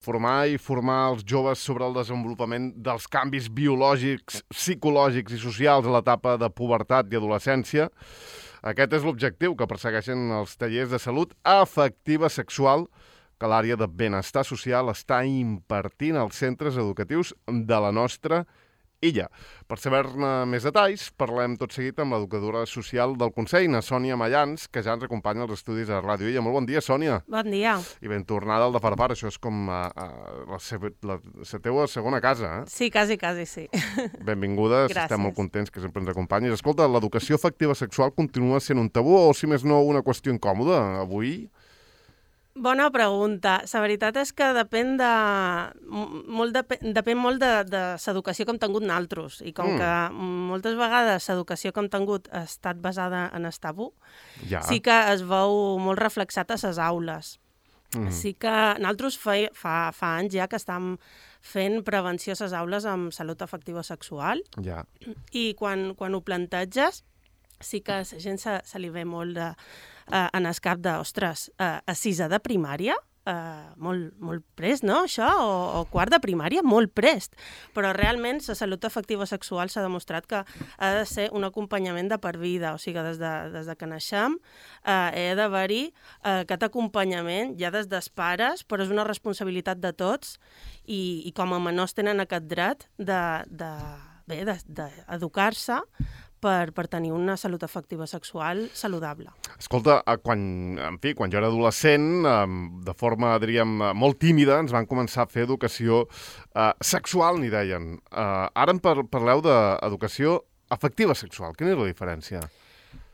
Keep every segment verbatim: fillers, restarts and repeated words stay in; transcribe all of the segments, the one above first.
Formar i formar els joves sobre el desenvolupament dels canvis biològics, psicològics i socials a l'etapa de pubertat i adolescència. Aquest és l'objectiu que persegueixen els tallers de salut afectiva sexual que l'àrea de benestar social està impartint als centres educatius de la nostra illa. Per saber-ne més detalls, parlem tot seguit amb l'educadora social del Consell, na Sònia Mayans, que ja ens acompanya als estudis de Ràdio Illa. Molt bon dia, Sònia. Bon dia. I ben tornada al de Farfar. Això és com uh, uh, la, seva, la, la teua segona casa, eh? Sí, quasi, quasi, sí. Benvinguda, Gràcies. Estem molt contents que sempre ens acompanyis. Escolta, l'educació afectiva sexual continua sent un tabú o, si més no, una qüestió incòmoda avui? Bona pregunta. La veritat és que depèn de... Molt depèn, depèn molt de, de l'educació que hem tingut naltros. I com mm. que moltes vegades l'educació que hem tingut ha estat basada en el tabú, ja. sí que es veu molt reflexat a les aules. Mm. Sí que naltros fa, fa, fa anys ja que estem fent prevenció a les aules amb salut afectiva sexual. Ja. I quan, quan ho planteges, sí que a la gent se, se li ve molt de... Uh, en el cap de, ostres, uh, a sisè de primària, uh, molt, molt prest, no, això? O, o quart de primària, molt prest. Però realment la salut afectiva sexual s'ha demostrat que ha de ser un acompanyament de per vida, o sigui, des de, des de que naixem uh, he d'haver-hi uh, aquest acompanyament ja des dels pares, però és una responsabilitat de tots i, i com a menors tenen aquest dret de, de, bé, de, d'educar-se Per, per tenir una salut afectiva sexual saludable. Escolta, quan, en fi, quan jo era adolescent, de forma, diríem, molt tímida, ens van començar a fer educació eh, sexual, n'hi deien. Eh, ara en parleu d'educació afectiva sexual. Quina és la diferència?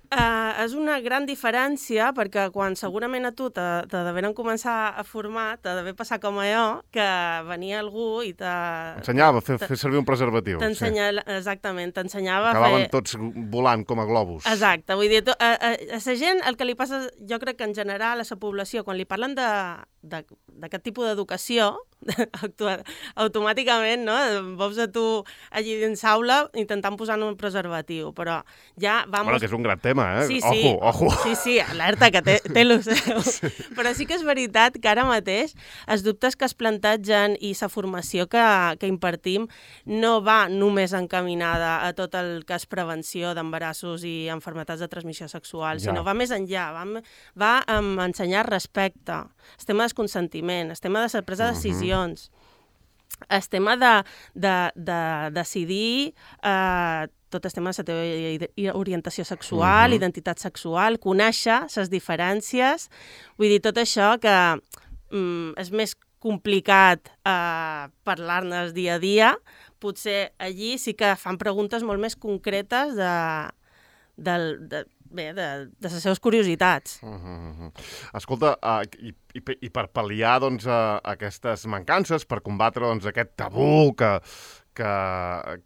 Uh, és una gran diferència perquè quan segurament a tu t'ha d'haver començar a formar, t'ha d'haver passat com a jo, que venia algú i t'ha... Ensenyava a fer, fer servir un preservatiu. T'ensenya, sí. Exactament, t'ensenyava a fer... Acabaven tots volant com a globus. Exacte, vull dir, a, a, a la gent el que li passa, jo crec que en general a la població, quan li parlen de d'aquest tipus d'educació, automàticament, no? Veus a tu allí dins l'aula intentant posar un preservatiu, però ja... Vamos... Bueno, que és un gran tema, eh? Sí, sí. Ojo, ojo. Sí, sí, alerta, que té, té lo seu. Sí. Però sí que és veritat que ara mateix els dubtes que es plantegen i la formació que, que impartim no va només encaminada a tot el que és prevenció d'embarassos i enfermetats de transmissió sexual, ja. sinó va més enllà, va, va um, ensenyar respecte, el tema del consentiment, el tema de la presa de decisions, uh-huh. el tema de, de, de decidir eh, tot el tema de la teva orientació sexual, uh-huh. identitat sexual, conèixer les diferències, vull dir, tot això que mm, és més complicat eh, parlar-ne dia a dia, potser allí sí que fan preguntes molt més concretes de, de, de, bé, de, de les seves curiositats. Uh-huh. Escolta, uh, i, i, i per pal·liar doncs, uh, aquestes mancances, per combatre doncs, aquest tabú que, que,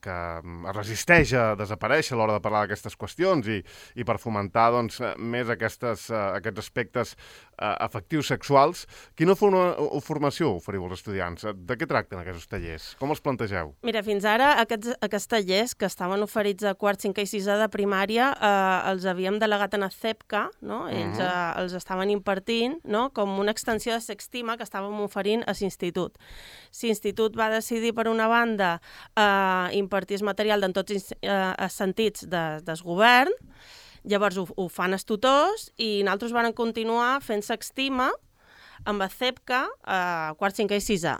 que es resisteix a desaparèixer a l'hora de parlar d'aquestes qüestions i, i per fomentar doncs, més aquestes, uh, aquests aspectes uh, afectius sexuals, quina forma, formació oferiu als estudiants? De què tracten aquests tallers? Com els plantegeu? Mira, fins ara aquests, aquests tallers que estaven oferits a quart, cinquè i sisè de primària eh, els havíem delegat en el C E P C A, no? Ells uh-huh. eh, els estaven impartint, no? Com una extensió de Sextima que estàvem oferint a l'institut. L'institut va decidir, per una banda, eh, impartir el material en tots els eh, sentits de, del govern, llavors ho, ho fan els tutors i nosaltres vam continuar fent Sextima amb el C E P C A a quart, cinquè i sisè.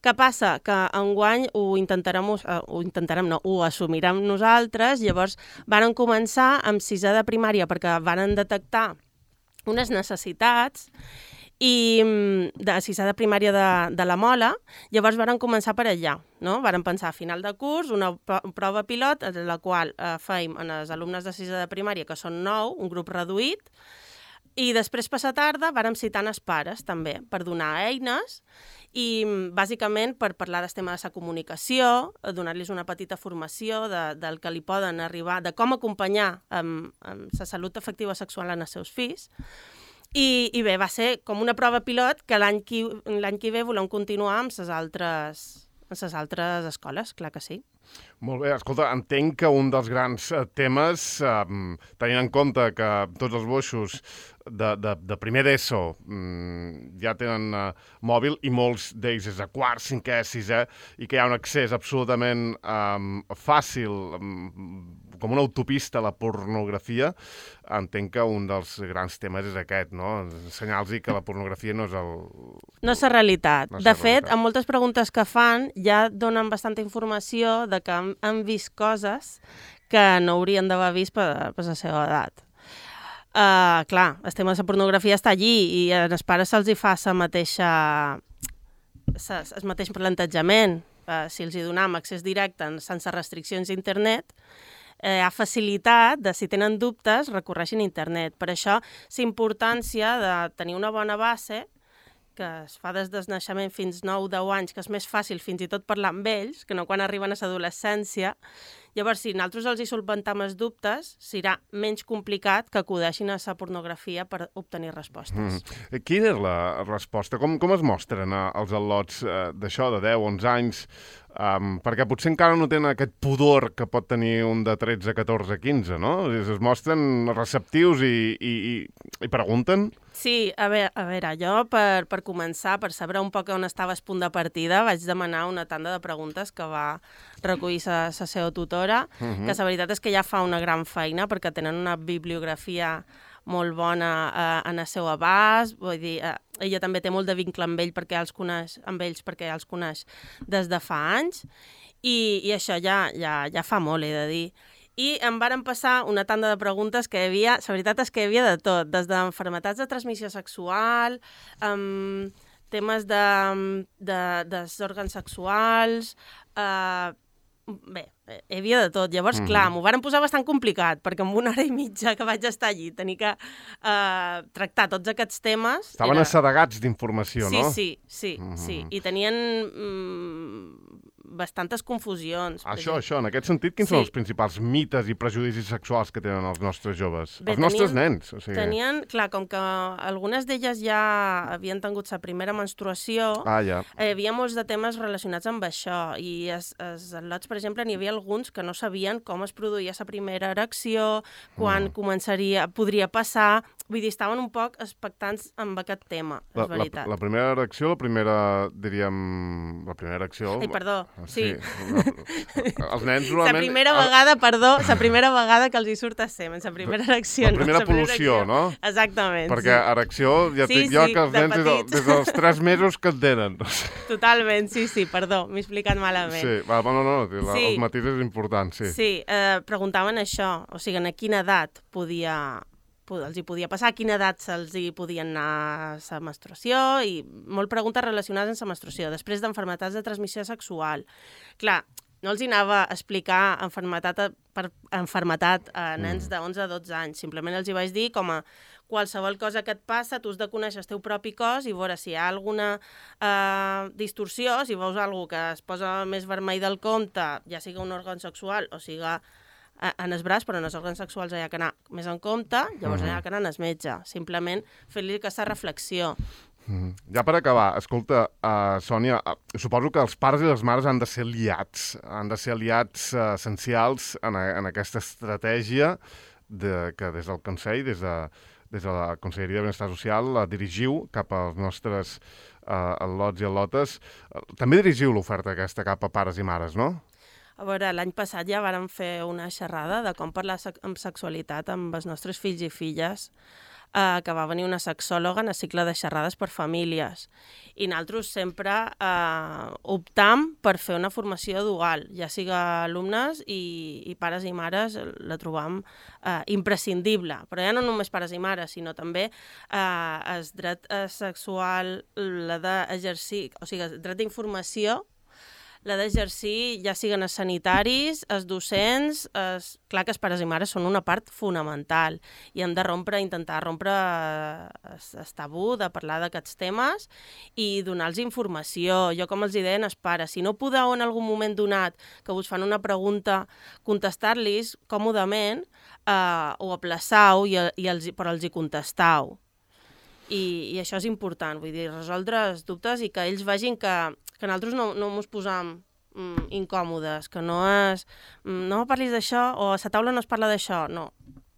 Què passa? Que enguany ho intentarem, uh, ho intentarem, no, ho assumirem nosaltres, llavors varen començar amb sisè de primària perquè varen detectar unes necessitats i de sisè de primària de, de la Mola, llavors varen començar per allà, no? Varen pensar a final de curs una prova pilot en la qual eh, fèiem en els alumnes de sisè de primària, que són nou, un grup reduït, i després, per la tarda, vàrem citar els pares, també, per donar eines i, bàsicament, per parlar del tema de la comunicació, donar-los una petita formació de, del que li poden arribar, de com acompanyar amb, amb la salut afectiva sexual en els seus fills. I, i bé, va ser com una prova pilot que l'any que, l'any que ve volem continuar amb les altres, en les altres escoles, clar que sí. Molt bé, escolta, entenc que un dels grans temes, eh, tenint en compte que tots els boixos de, de, de primer d'ESO mm, ja tenen eh, mòbil i molts d'ells és de quart, cinquè, sisè, i que hi ha un accés absolutament eh, fàcil, eh, com una autopista a la pornografia, entenc que un dels grans temes és aquest, no? Ensenyar-los que la pornografia no és el... No és la realitat. No és de la fet, realitat. en moltes preguntes que fan ja donen bastanta informació de que han, han vist coses que no haurien d'haver vist per, per la seva edat. Uh, clar, el tema de la pornografia està allí i als pares se'ls hi fa la mateixa, sa, el mateix plantejament. Uh, si els hi donam accés directe sense restriccions a internet, eh, ha facilitat de, si tenen dubtes, recorreixin a internet. Per això, la importància de tenir una bona base, que es fa des del naixement fins nou deu anys, que és més fàcil fins i tot parlar amb ells, que no quan arriben a l'adolescència. Llavors, si nosaltres els hi solventam els dubtes, serà menys complicat que acudeixin a la pornografia per obtenir respostes. Mm. Quina és la resposta? Com, com es mostren eh, els al·lots eh, d'això, de deu, onze anys? Um, perquè potser encara no tenen aquest pudor que pot tenir un de tretze, catorze, quinze, no? Es, es mostren receptius i, i, i, i pregunten? Sí, a veure, a veure jo per, per començar, per saber un poc on estava el punt de partida, vaig demanar una tanda de preguntes que va recollir la seva tutora, uh-huh. que la veritat és que ja fa una gran feina perquè tenen una bibliografia molt bona eh, en el seu abast, vull dir, eh, ella també té molt de vincle amb ell perquè els coneix, amb ells perquè els coneix des de fa anys, i, i això ja, ja, ja fa molt, he de dir. I em varen passar una tanda de preguntes que hi havia, la veritat és que hi havia de tot, des d'enfermetats de transmissió sexual, um, temes de, de, dels òrgans sexuals, uh, bé, hi havia de tot. Llavors, mm. clar, m'ho varen posar bastant complicat, perquè en una hora i mitja que vaig estar allí tenir que uh, tractar tots aquests temes... Estaven era... assedegats d'informació, sí, no? Sí, sí, mm. sí. I tenien mm, bastantes confusions. Això, això, en aquest sentit, quins sí. són els principals mites i prejudicis sexuals que tenen els nostres joves? Bé, els nostres tenien, nens, o sigui... Tenien, clar, com que algunes d'elles ja havien tingut la primera menstruació, ah, ja. hi havia molts de temes relacionats amb això, i els, els al·lots, per exemple, n'hi havia alguns que no sabien com es produïa la primera erecció, quan mm. començaria, podria passar, vull dir, estaven un poc expectants amb aquest tema, és la, veritat. La, la primera erecció, la primera, diríem, la primera erecció... Ai, perdó, sí. sí. Els nens normalment... La primera vegada, perdó, la primera vegada que els hi surt a semen, la primera erecció. La primera no, pol·lució, no? Exactament, perquè sí. erecció, ja sí, dic jo sí, que els de nens des, des dels tres mesos que en tenen. Totalment, sí, sí, perdó, m'he explicat malament. Sí, va, no, no, la, sí. els matisos és important, sí. Sí, eh, preguntaven això, o sigui, a quina edat podia... els hi podia passar, a quina edat se'ls hi podien anar a la menstruació, i molt preguntes relacionades amb la menstruació. Després d'enfermetats de transmissió sexual. Clar, no els hi anava a explicar enfermetat per enfermetat a nens de onze a dotze anys. Simplement els hi vaig dir com a qualsevol cosa que et passa, tu has de conèixer el teu propi cos i veure si hi ha alguna eh, distorsió, si veus alguna que es posa més vermell del compte, ja siga un òrgan sexual o siga en el braç, però en els òrgans sexuals hi ha que anar més en compte, llavors uh-huh. hi ha que anar al metge. Simplement fer-li aquesta reflexió. Mm. Ja per acabar, escolta, uh, Sònia, uh, suposo que els pares i les mares han de ser aliats, han de ser aliats uh, essencials en, a, en aquesta estratègia de, que des del Consell, des de, des de la Conselleria de Benestar Social, la dirigiu cap als nostres uh, al·lots i al·lotes. Uh, també dirigiu l'oferta aquesta cap a pares i mares, no? A veure, l'any passat ja vàrem fer una xerrada de com parlar amb sexualitat amb els nostres fills i filles, eh, que va venir una sexòloga en el cicle de xerrades per famílies. I nosaltres sempre eh, optam per fer una formació dual, ja siga alumnes i, i pares i mares la trobam eh, imprescindible. Però ja no només pares i mares, sinó també eh, el dret sexual, la d'exercir, o sigui, el dret d'informació, la d'exercir, ja siguen els sanitaris, els docents, els... clar que els pares i mares són una part fonamental i han de rompre, intentar rompre el tabú de parlar d'aquests temes i donar-los informació. Jo, com els deia als pares, si no podeu en algun moment donat que us fan una pregunta, contestar-los còmodament eh, o aplaçau i, i els, però els hi contestau. I, i això és important, vull dir, resoldre els dubtes i que ells vegin que, que que nosaltres no, no mos posam mm, incòmodes, que no és... Mm, no parlis d'això, o a la taula no es parla d'això, no.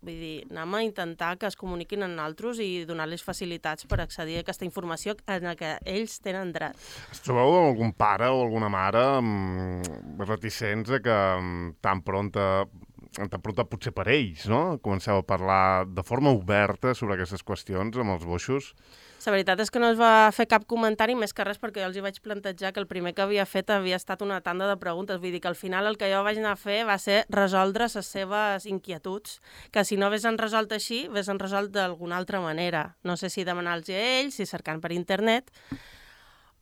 Vull dir, anem a intentar que es comuniquin amb nosaltres i donar-les facilitats per accedir a aquesta informació en la que ells tenen dret. Es trobeu algun pare o alguna mare mm, reticents a que mm, tan pronta, tan pronta potser per ells, no? Comenceu a parlar de forma oberta sobre aquestes qüestions amb els boixos? La veritat és que no es va fer cap comentari, més que res perquè jo els hi vaig plantejar que el primer que havia fet havia estat una tanda de preguntes. Vull dir que al final el que jo vaig anar a fer va ser resoldre les seves inquietuds, que si no haguessin resolt així, haguessin resolt d'alguna altra manera. No sé si demanant-los a ells, si cercant per internet,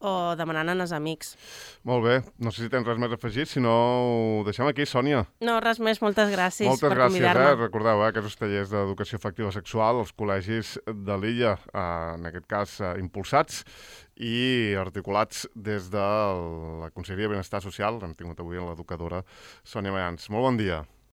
o demanant als amics. Molt bé. No sé si tens res més a afegir, si no ho deixem aquí, Sònia. No, res més. Moltes gràcies Moltes per gràcies, convidar-me. eh? Recordeu, eh? Aquests tallers d'educació afectiva sexual als col·legis de l'illa, eh, en aquest cas eh, impulsats i articulats des de la Conselleria de Benestar Social. Hem tingut avui l'educadora Sònia Mayans. Molt bon dia.